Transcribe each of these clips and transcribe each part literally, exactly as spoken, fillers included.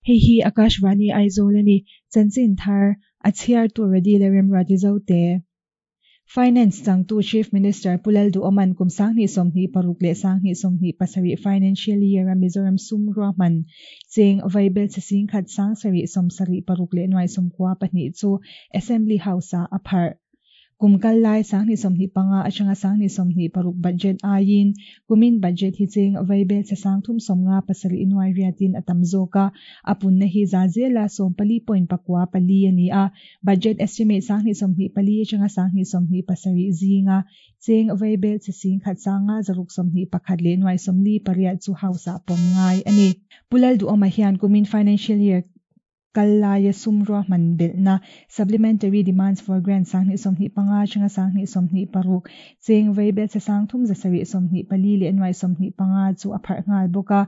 Hei hi Akashvani Aizawl a ni. Chanchin thar a chhiartu Redi leh Remruati Zote. Finance changtu Chief Minister Pu Lalduhoma'n kum sanghnih sawmhnih paruk leh sanghnih sawmhnih pasarih financial year a Mizoram sum ruahman cheng vaibelchhe singkhat sangsarih sawmsarih paruk leh nuai sawmkua pahnih chu Assembly House-ah a pharh. Kum kal lai sanghnih sawmhnih panga atanga sanghnih sawmhnih paruk budget aiin kumin budget hi cheng vaibelchhe sangthum sawmnga pasarih nuai riatin a tam zawk a, a punna hi za zela sawm pali point pakua pali a ni a. Budget estimate sanghnih sawmhnih pali atanga sanghnih sawmhnih pasarih zinga cheng vaibelchhe singkhat sanga zaruk sawmhnih pakhat leh nuai sawmli pariat chu house ah pawm ngai a ni. Pu Lalduhoma hian kumin financial year kal laia sum ruahman belhna supplementary demands for grant sanghnih sawmhnih panga atanga sanghnih sawmhnih paruk cheng vaibelchhe sangthum zasarih sawmhnih pali leh nuai sawmhnih panga chu a pharh nghal bawk a.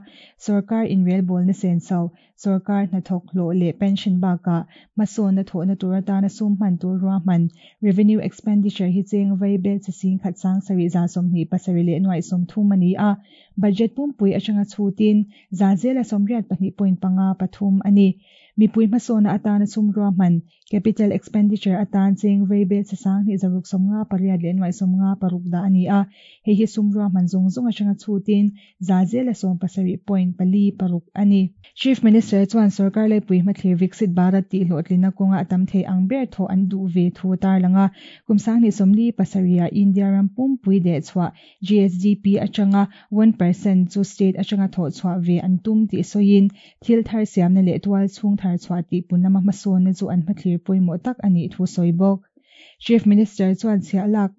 Sarkar inrelbawlna senso sarkar hnathawk hlawh leh pension bakah hmasawnna thawhna tur atana sum hman tur ruahman revenue expenditure hi cheng vaibelchhe singkhat sangsarih za sawmhnih pasarih leh nuai sawmthum a ni a. Budget pumpui atanga chhutin za zela sawmriat pahnih point panga pathum a ni. Mipui hmasawnna atana sum ruahman capital expenditure atan cheng vaibelchhe sanghnih zaruk sawmnga pariat leh nuai sawmnga paruk dah a ni a. Hei hi sum ruahman zawng zawng atanga chhutin za zela sawm pasarih point pali paruk a ni. Chief Minister chuan sarkar laipui hmathlir Viksit Bharat tih hlawhtlinna kawnga a tam thei ang ber thaw an duh ve thu tar langa kum sanghnih sawmli pasarih ah India ram pumpui deh chhuah G S D P atanga one percent chu state atanga thaw chhuah ve an tum tih sawiin thil thar siamna leh tual chhung thar chhuah tih punlama hmasawnna chu an hmathlir pawimawh tak a nih thu sawi bawk. Chief Minister chuan chhiah lak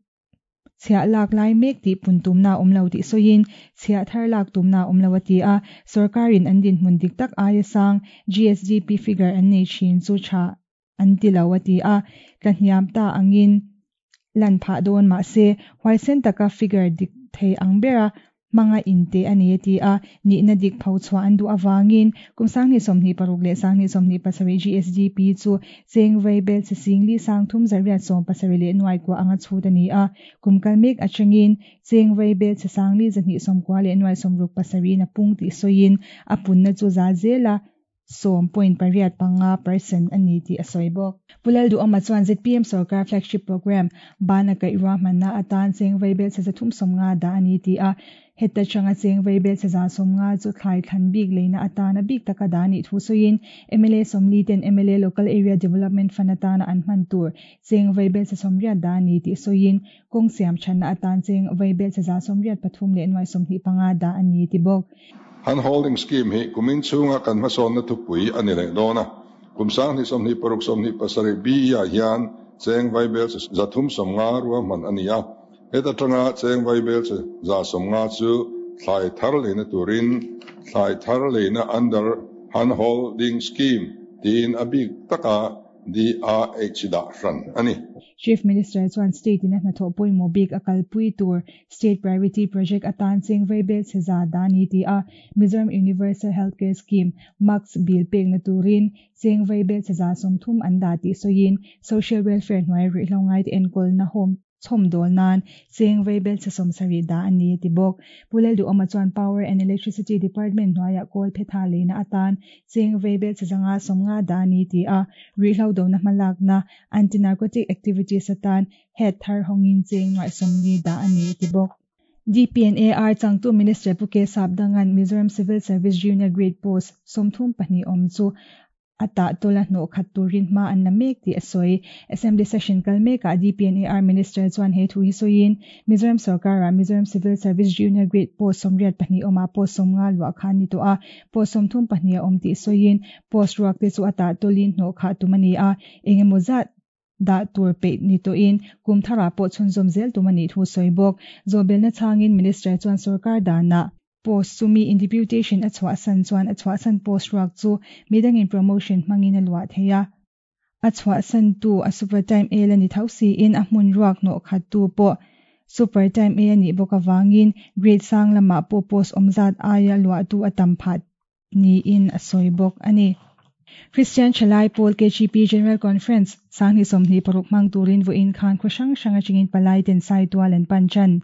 chhiah lak lai mek tih pun tumna awm lo tih sawiin chhiah thar lak tumna awm lo a ti a. Sarkarin an dinhmun dik tak aia sang G S D P figure an nei thin chu tha an ti lo a ti a. Tlahniam ta angin lan phah dawn mahse huaisen taka figure dik thei ang bera hmanga inte a ni a ti a. Nihna dik pho chhuah an duh awangin kum sanghnih sawmhnih paruk leh sanghnih sawmhnih pasarih G S D P chu cheng vaibelchhe singli sangthum zariat sawm pasarih leh nuai kua anga chhut a ni a. Kum kal mek atangin cheng vaibelchhe sangli zahnih sawmkua leh nuai sawmruk pasarih na pung tih sawiin a punna chu za zela sawm point pariat panga percent a ni tih a sawi bawk. Pu Lalduhoma chuan Z P M sarkar flagship program bana kaih ruahmanna atan cheng vaibelchhe zathum sawmnga dah a ni ti a. Heta changa cheng vaibelchhe za sawmnga chu thlai thlan bik leina atana bik taka dah ni thu sawiin M L A sawmli ten M L A local area development fund atana an hman tur cheng vaibelchhe sawmriat dah ni tih sawiin kawng siam thatna atan cheng vaibelchhe za sawmriat pathum leh nuai sawmhnih panga dah a ni ti bawk. Han holding scheme hi kumin chhunga kan hmasawnna thupui a ni leh dawn a. Kum sanghnih sawmhnih paruk sawmhnih pasarih B E ah hian cheng vaibelchhe zathum sawmnga ruahman a ni a. Heta tanga cheng vaibelchhe za sawmnga chu thlai thar leina turin thlai thar leina under han holding scheme tiin a bik taka D R H dah hran a ni. Chief Minister chuan state in a hnathawh pawimawh bik a kalpui tur state priority project atan cheng vaibelchhe za dah ni ti a. Mizoram Universal Healthcare Scheme Max bill pekna turin cheng vaibelchhe za sawmthum an dah tih sawiin social welfare hnuai rihlo ngai te enkawlna home chhawm dawl nan cheng vaibelchhe sawmsarih dah a ni ti bawk. Pu Lalduhoma chuan Power and Electricity Department hnuaiah kawl phetha leina atan cheng vaibelchhe zanga sawmnga dah a ni ti a. Rihlo dona hmalakna anti-narcotic activities atan head thar hawngin cheng nuai sawmli dah a ni ti bawk. D P N A R changtu Minister Pu K Sapdangan Mizoram Civil Service Junior Grade Post sawmthum pahnih awm chu ata tola hnaw khat turin hma an la mek tih a sawi. Assembly session kal mekah D P N A R Minister chuan he thu hi sawiin Mizoram sarkara Mizoram Civil Service Junior Grade Post sawmriat pahnih awma post sawmnga luah khan ni tawh a. Post sawmthum pahnih a awm tih sawiin post ruak te chu ata tolin hnaw khah tum a ni a. Engemaw zat dah tur peih ni tawhin kum thara pawh chhunzawm zel tum a nih thu sawi bawk. Zawhbelna changin Minister chuan sarkar danah post chumi in deputation a chhuah san chuan a chhuah san post ruak chu midangin promotion hmangin a luah thei a. A chhuah san tu a super time A la ni tho siin a hmun ruak hnawh khat tu pawh super time A a nih bawk awangin grade sang lamah pawh post awm zat aia luah tu a tam phah niin a sawi bawk a ni. Christian Thalai Pawl K G P General Conference sanghnih sawmhnih paruk hmang turin vawiin khan khaw hrang hrang atangin palai ten Saitual an pan tan.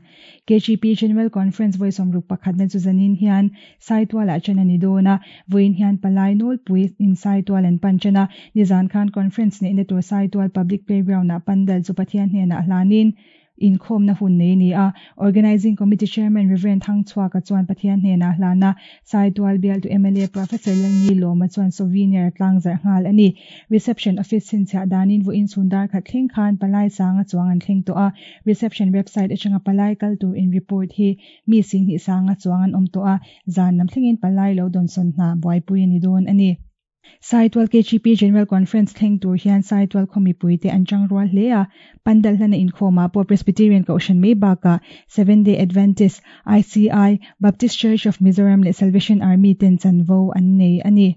K G P General Conference vawi sawmruk pakhatna chu zanin hian Saitualah ṭan a ni dawn a, vawiin hian palai nawlpui in Saitual an pan ṭan a, nizan khan conference neihna tur Saitual Public Playground ah pandal chu Pathian hnenah hlanin inkhawmna hun nei ni a. Organizing Committee Chairman Reverend Thangchhuaka chuan Pathian hnenah hlana Saitual bialtu M L A Professor Lalnilawma chuan souvenir tlangzarh nghal a ni. Reception office chhinchhiah danin vawiin chhun dar khat thleng khan palai sanga chuang an thleng tawh a. Reception website atanga palai kal tur in report hi mi singhnih sanga chuang an awm tawh a, zan lam thlengin palai lo dawnsawn hna buaipui a ni dawn a ni. Saitual K G P General Conference thleng tur hian Saitual khaw mipuite an tang rual hle a, pandal hlana inkhawmah pawh Presbyterian Kohhran mai bakah Seventh Day Adventist, I C I, Baptist Church of Mizoram leh Salvation Army ten chanvo an nei a ni.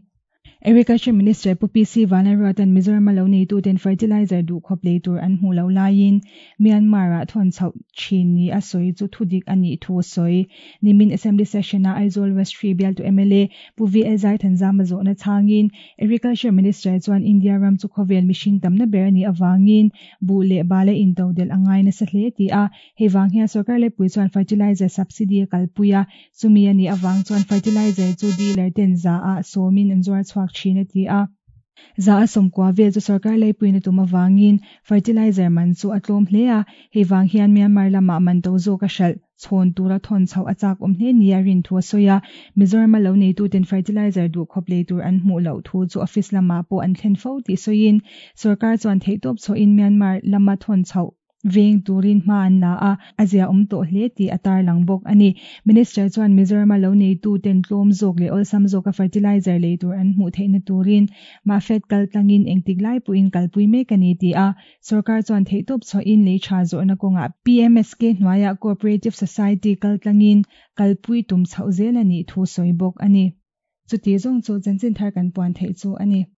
Agriculture Minister Pu P C Vanlalruata'n Mizoram a lo neituten fertilizer duhkhawp lei tur an hmuh loh laiin Myanmar-ah thawn chhoh thin ni a sawi chu thudik a nih thu a sawi. Nimin Assembly Session-a Aizawl West Three bialtu M L A Pu V L Zaithanzama zawhna chhangin Agriculture Minister chuan India ram chu khawvel mihring tamna ber a nih avangin buh leh bal a intodelh a ngai nasa hle ti a, hei vang hian sorkar lepui chuan fertilizer subsidy a kalpui a, chumi a nih avang chuan fertilizer chu dealer ten za ah sawmin an zuar chhuak thin a ti a. Za a sawmkua vel chu sorkar leipuina tum awangin fertilizer man chu a tlawm hle a, hei vang hian Myanmar lamah man to zawk a hralh chhawn tura thawn chhoh a chak awm hle ni a rin thu a sawi a. Mizoram a lo neituten fertilizer duhkhawp lei tur an hmuh loh thu chu office lamah pawh an thlen fo tih sawiin sorkar chuan theihtawp chhoin Myanmar lama thawn chhoh veng turin hma an la a, a zia awm tawh hle tih a tarlang bawk a ni. Minister chuan Mizoram a lo neituten tlawm zawk leh awlsam zawka fertilizer lei tur an hmuh theihna turin Mafed kaltlangin engtik lai pawhin kalpui mek a ni ti a, sorkar chuan theihtawp chhoin lei tha zawhna kawngah P M S K hnuaiah Cooperative Society kaltlangin kalpui tum chhoh zel a nih thu sawi bawk a ni. Chuti zawng chu chanchin thar kan puan theih chu a ni.